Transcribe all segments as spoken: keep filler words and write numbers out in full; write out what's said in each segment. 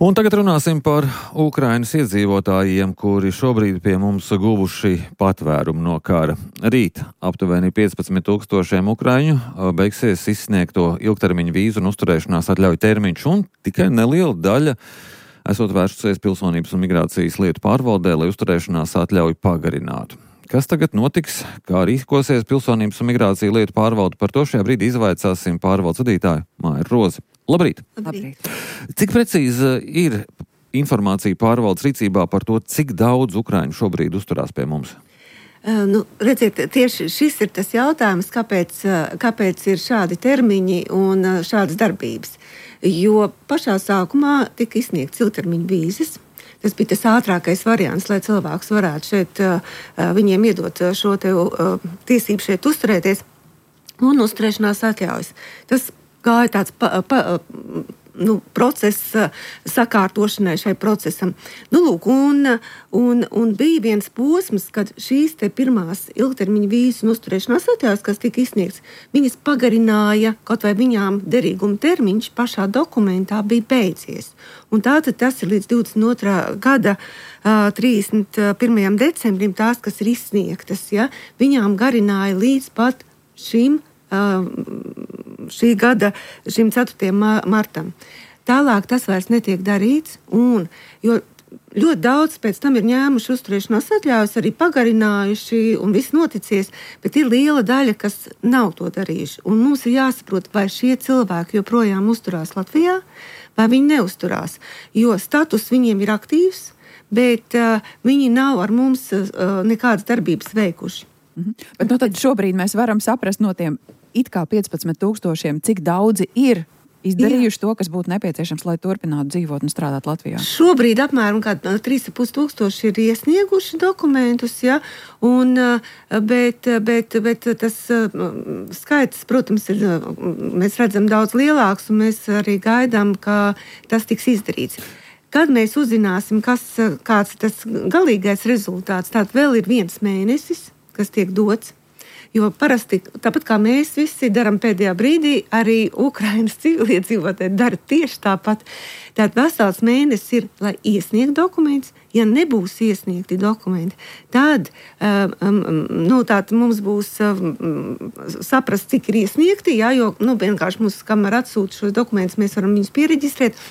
Un tagad runāsim par Ukrainas iedzīvotājiem, kuri šobrīd pie mums guvuši patvērumu no kara. Rīt aptuveni piecpadsmit tūkstošiem ukraiņu beigsies izsniegto ilgtermiņu vīzu un uzturēšanās atļauju termiņš, un tikai neliela daļa esot vērsusies pilsonības un migrācijas lietu pārvaldē, lai uzturēšanās atļauju pagarinātu. Kas tagad notiks, kā rīkosies pilsonības un migrāciju lietu pārvalde, par to šajā brīdī izvaicāsim pārvaldes vadītāju Māju Rozi. Labrīt! Labrīt! Cik precīzi ir informācija pārvaldes rīcībā par to, cik daudz ukraiņu šobrīd uzturās pie mums? Uh, nu, redziet, tieši šis ir tas jautājums, kāpēc, kāpēc ir šādi termiņi un šādas darbības. Jo pašā sākumā tika izsniegts ilgtermiņa vīzes. Tas bija tas ātrākais variants, lai cilvēks varētu šeit, viņiem iedot šo te tiesību šeit uzturēties un uzturēšanās atļaujas. Tas gāja tāds pa, pa, nu, process sakārtošanai šai procesam. Nu, lūk, un, un, un bija viens posms, kad šīs te pirmās ilgtermiņa vīzes un uzturēšanās atļaujas, kas tika izsniegts, viņas pagarināja, kaut vai viņām derīguma termiņš pašā dokumentā bija beidzies. Un tātad tas ir līdz divdesmit otrā gada uh, trīsdesmit pirmajam decembrim tās, kas ir izsniegtas, ja, viņām garināja līdz pat šim šī gada, šim ceturtajam martam. Tālāk tas vairs netiek darīts, un, jo ļoti daudz pēc tam ir ņēmuši uzturēšanās atļaujas, arī pagarinājuši un viss noticies, bet ir liela daļa, kas nav to darījuši. Un mums ir jāsaprot, vai šie cilvēki joprojām uzturās Latvijā, vai viņi neuzturās. Jo status viņiem ir aktīvs, bet uh, viņi nav ar mums uh, nekādas darbības veikuši. Mhm. Bet nu tad šobrīd mēs varam saprast no tiem it kā piecpadsmit tūkstošiem, cik daudzi ir izdarījuši Jā. To, kas būtu nepieciešams, lai turpinātu dzīvot un strādāt Latvijā. Šobrīd apmēram trīs ar pus tūkstoši ir iesnieguši dokumentus, ja, un, bet, bet, bet tas skaits, protams, ir, mēs redzam daudz lielāks, un mēs arī gaidām, ka tas tiks izdarīts. Kad mēs uzzināsim, kas, kāds ir tas galīgais rezultāts, tad vēl ir viens mēnesis, kas tiek dots. Jo parasti, tāpat kā mēs visi darām pēdējā brīdī, arī Ukrainas civiliedzīvotāji dara tieši tāpat. Tātad vesels mēnesis ir, lai iesniegtu dokumentus. Ja nebūs iesniegti dokumenti, tad um, nu, tātad mums būs um, saprast, cik ir iesniegti, jā, jo nu, vienkārši mums, kamēr atsūta šos dokumentus, mēs varam viņus piereģistrēt.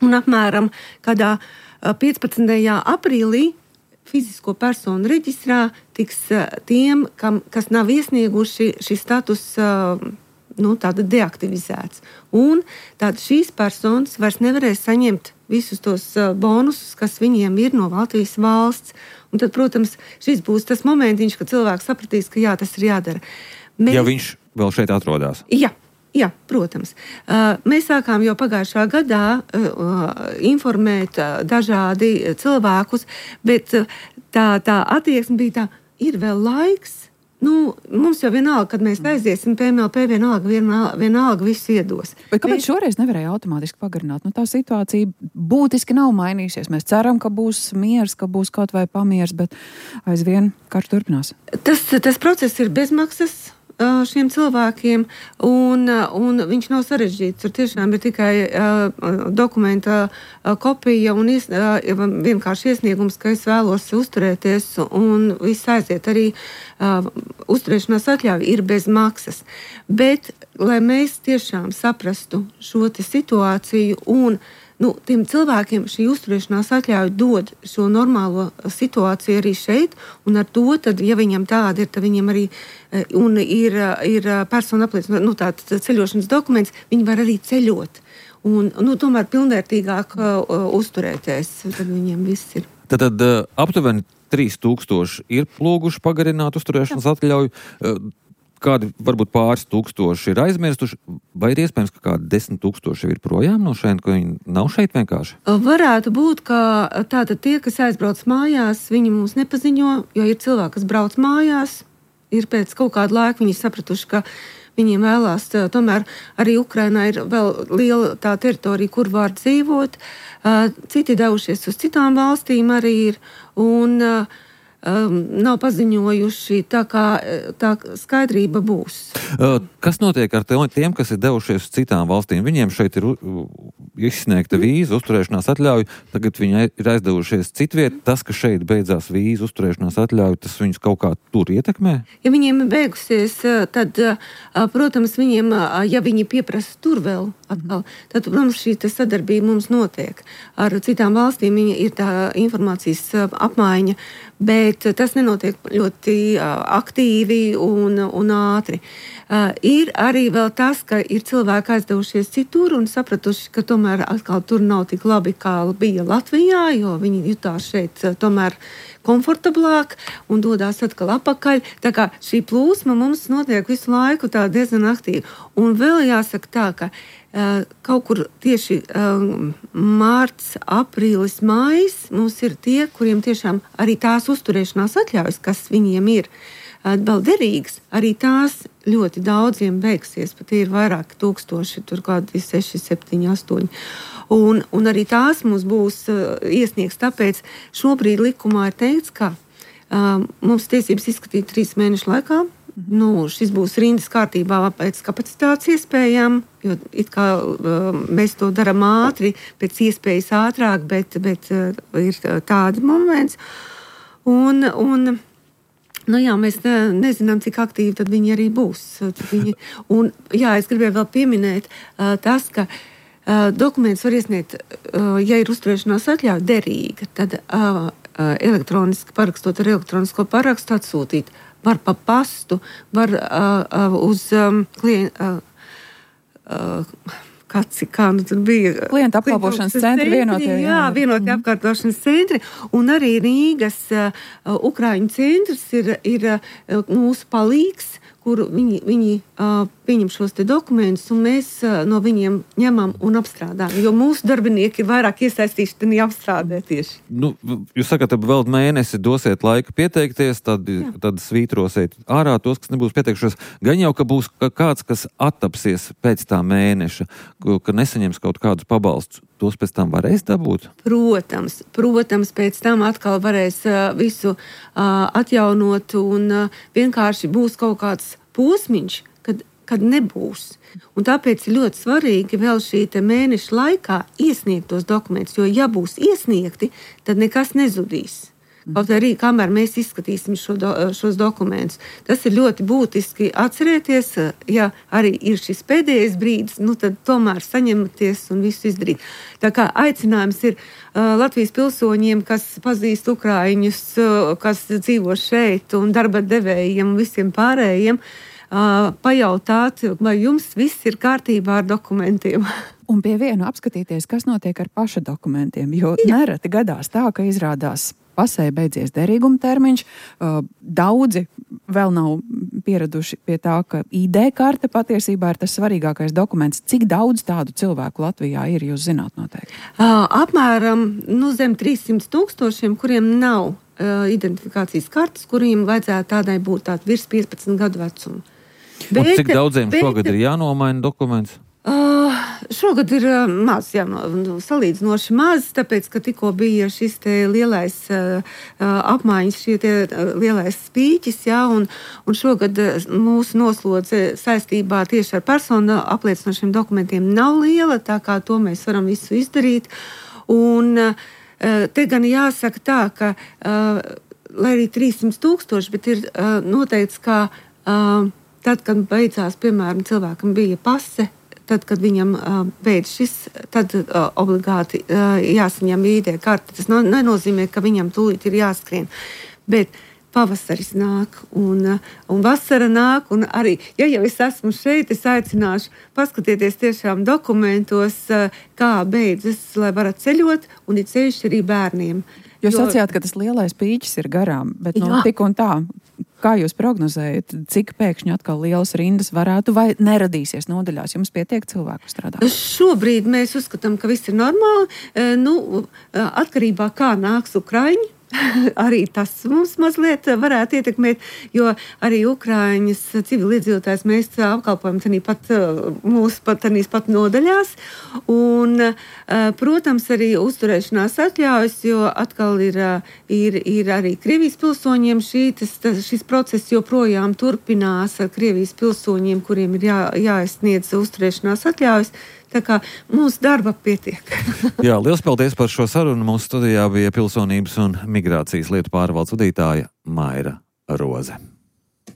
Un apmēram kādā piecpadsmitajā aprīlī fizisko personu reģistrā tiks tiem, kam, kas nav iesnieguši šis status nu, tāda deaktivizēts. Un tāda šīs personas vairs nevarēs saņemt visus tos bonusus, kas viņiem ir no Latvijas valsts. Un tad, protams, šis būs tas momentiņš, kad cilvēks sapratīs, ka jā, tas ir jādara. Mēs... Ja viņš vēl šeit atrodas? Jā. Jā, protams. Mēs sākām jau pagājušā gadā informēt dažādi cilvēkus, bet tā, tā attieksme bija tā, ir vēl laiks. Nu, mums jau vienalga, kad mēs aiziesim P M L P, vienalga, vienalga, vienalga visu iedos. Bet kāpēc mēs... šoreiz nevarēja automātiski pagarināt? Nu, tā situācija būtiski nav mainījusies. Mēs ceram, ka būs miers, ka būs kaut vai pamiers, bet aizvien karš turpinās. Tas, tas process ir bezmaksas šiem cilvēkiem, un, un viņš nav sarežģīts. Tur tiešām ir tikai uh, dokumenta uh, kopija un ies, uh, vienkārši iesniegums, ka es vēlos uzturēties, un viss aiziet. Arī uh, uzturēšanās atļauja ir bez maksas. Bet, lai mēs tiešām saprastu šo te situāciju un nu, tiem cilvēkiem šī uzturēšanās atļauja dod šo normālo situāciju arī šeit, un ar to, tad, ja viņam tāda ir, tad viņam arī un ir, ir persona apliecina, nu, tāds ceļošanas dokuments, viņi var arī ceļot. Un, nu, tomēr pilnvērtīgāk uh, uzturēties, tad viņiem viss ir. Tad, tad uh, aptuveni trīs tūkstoši ir plūguši pagarināt uzturēšanas Jā. Atļauju. Uh, Kādi varbūt pāris tūkstoši ir aizmirstuši, vai ir iespējams, ka kādi desmit tūkstoši ir projām no šeit, ka viņi nav šeit vienkārši? Varētu būt, ka tātad tie, kas aizbrauc mājās, viņi mums nepaziņo, jo ir cilvēki, kas brauc mājās, ir pēc kaut kāda laika viņi sapratuši, ka viņiem vēlās, tomēr arī Ukrainā ir vēl liela tā teritorija, kur var dzīvot, citi devušies uz citām valstīm arī ir, un um, nav paziņojuši, tā kā tā skaidrība būs. Kas notiek ar tiem, kas ir devušies uz citām valstīm? Viņiem šeit ir izsniegta vīza, uzturēšanās atļauja, tagad viņi ir aizdevušies citviet. Tas, ka šeit beidzās vīza, uzturēšanās atļauja, tas viņus kaut kā tur ietekmē? Ja viņiem ir beigusies, tad, protams, viņiem, ja viņi pieprasa tur vēl atkal, tad, protams, šī sadarbība mums notiek. Ar citām valstīm ir tā informācijas apmaiņa, bet tas nenotiek ļoti aktīvi un, un ātri. Uh, ir arī vēl tas, ka ir cilvēki aizdevušies citur un sapratuši, ka tomēr atkal tur nav tik labi, kā bija Latvijā, jo viņi jutās šeit uh, tomēr komfortablāk un dodās atkal apakaļ. Tā kā šī plūsma mums notiek visu laiku tā diezgan aktīvi. Un vēl jāsaka tā, ka uh, kaut kur tieši uh, mārts, aprīlis, mājas mums ir tie, kuriem tiešām arī tās uzturēšanās atļaujas, kas viņiem ir vēl derīgas, arī tās ļoti daudziem beigsies, pat ir vairāki tūkstoši, tur kādi seši, septiņi, astoņi. Un, un arī tās mums būs uh, iesniegs, tāpēc šobrīd likumā ir teikts, ka uh, mums tiesības izskatīt trīs mēnešu laikā. Nu, šis būs rindas kārtībā pēc kapacitātes iespējām, jo it kā uh, mēs to darām ātri, pēc iespējas ātrāk, bet, bet uh, ir tādi moments. Un, un Nu jā, mēs ne, nezinām, cik aktīvi tad viņi arī būs. Viņi, un, jā, es gribēju vēl pieminēt uh, tas, ka uh, dokuments var iesniegt, uh, ja ir uzturēšanās atļauja derīga, tad uh, uh, elektroniski parakstot ar elektronisko parakstu atsūtīt. Var pa pastu, var uh, uh, uz um, klientu. Uh, uh, Kāds, kā nu tur bija? Klienta apkalpošanas centri, vienotie. Jā, jā vienotie mm. apkalpošanas centri. Un arī Rīgas uh, Ukraiņu centrs ir, ir uh, mūsu palīgs, kur viņi, viņi uh, pieņem šos te dokumentus, un mēs uh, no viņiem ņemam un apstrādājam. Jo mūsu darbinieki ir vairāk iesaistīti tādī apstrādē tieši. Nu, jūs sakat, vēl mēnesi dosiet laiku pieteikties, tad, tad svītrosiet ārā tos, kas nebūs pieteikšos. Gan jau, ka būs kāds, kas attapsies pēc tā mēneša, ka nesaņems kaut kādus pabalstus. Tos pēc tam varēs dabūt? Protams, protams, pēc tam atkal varēs uh, visu uh, atjaunot un uh, vienkārši būs kaut kāds posmiņš, kad, kad nebūs. Un tāpēc ir ļoti svarīgi vēl šī te mēneša laikā iesniegt tos dokumentus, jo ja būs iesniegti, tad nekas nezudīs. Kaut arī, kamēr mēs izskatīsim šo do, šos dokumentus. Tas ir ļoti būtiski atcerēties, ja arī ir šis pēdējais brīdis, nu tad tomēr saņematies un visu izdarīt. Tā kā aicinājums ir uh, Latvijas pilsoņiem, kas pazīst Ukraiņus, uh, kas dzīvo šeit un darba devējiem un visiem pārējiem, uh, pajautāt, vai jums viss ir kārtībā ar dokumentiem. Un pie vienu apskatīties, kas notiek ar paša dokumentiem, jo Jā. nereti gadās tā, ka izrādās pasē beidzies derīguma termiņš. Daudzi vēl nav pieraduši pie tā, ka I D karte patiesībā ir tas svarīgākais dokuments. Cik daudz tādu cilvēku Latvijā ir, jūs zināt noteikti? Apmēram nu, zem trīssimts tūkstošiem, kuriem nav uh, identifikācijas kartes, kuriem vajadzētu tādai būt tād virs piecpadsmit gadu vecuma. Bet, un cik daudziem bet, šogad ir jānomaina dokuments? Uh, šogad ir uh, maz, jā, no, salīdzinoši maz, tāpēc, ka tikko bija šis te lielais uh, apmaiņas, šie te uh, lielais spīķis, jā, un, un šogad uh, mūsu noslodze saistībā tieši ar personu apliecinošiem dokumentiem nav liela, tā kā to mēs varam visu izdarīt. Un uh, te gan jāsaka tā, ka, uh, lai arī trīssimts tūkstoši, bet ir uh, noteikts, ka uh, tad, kad beidzās, piemēram, cilvēkam bija pase, tad, kad viņam uh, beidz šis, tad uh, obligāti uh, jāsaņem I D karte. Tas no, nenozīmē, ka viņam tūlīt ir jāskrien. Bet pavasaris nāk un, uh, un vasara nāk. Un arī, ja jau es esmu šeit, es aicināšu paskatieties tiešām dokumentos, uh, kā beidzas, lai varat ceļot, un ir ceļš arī bērniem. Jūs jo... sacījāt, ka tas lielais pīķis ir garām, bet nu, tik un tā. Kā jūs prognozējat, cik pēkšņi atkal lielas rindas varētu vai neradīsies nodaļās? Jums pietiek cilvēku strādāt? Šobrīd mēs uzskatām, ka viss ir normāli. Nu, atkarībā kā nāks Ukraiņi, arī tas mums mazliet varētu ietekmēt, jo arī Ukraiņas civiliedzīvotājs mēs apkalpojam tanī pat mūsu pat tanīs pat nodaļās. Un, protams, arī uzturēšanās atļaujas, jo atkal ir, ir, ir arī Krievijas pilsoņiem šī, tas, tas, šis process joprojām turpinās ar Krievijas pilsoņiem, kuriem ir jā, jāizsniedz uzturēšanās atļaujas. Tā kā mūsu darba pietiek. Jā, liels paldies par šo sarunu. Mūsu studijā bija pilsonības un migrācijas lietu pārvaldes vadītāja Maira Roze.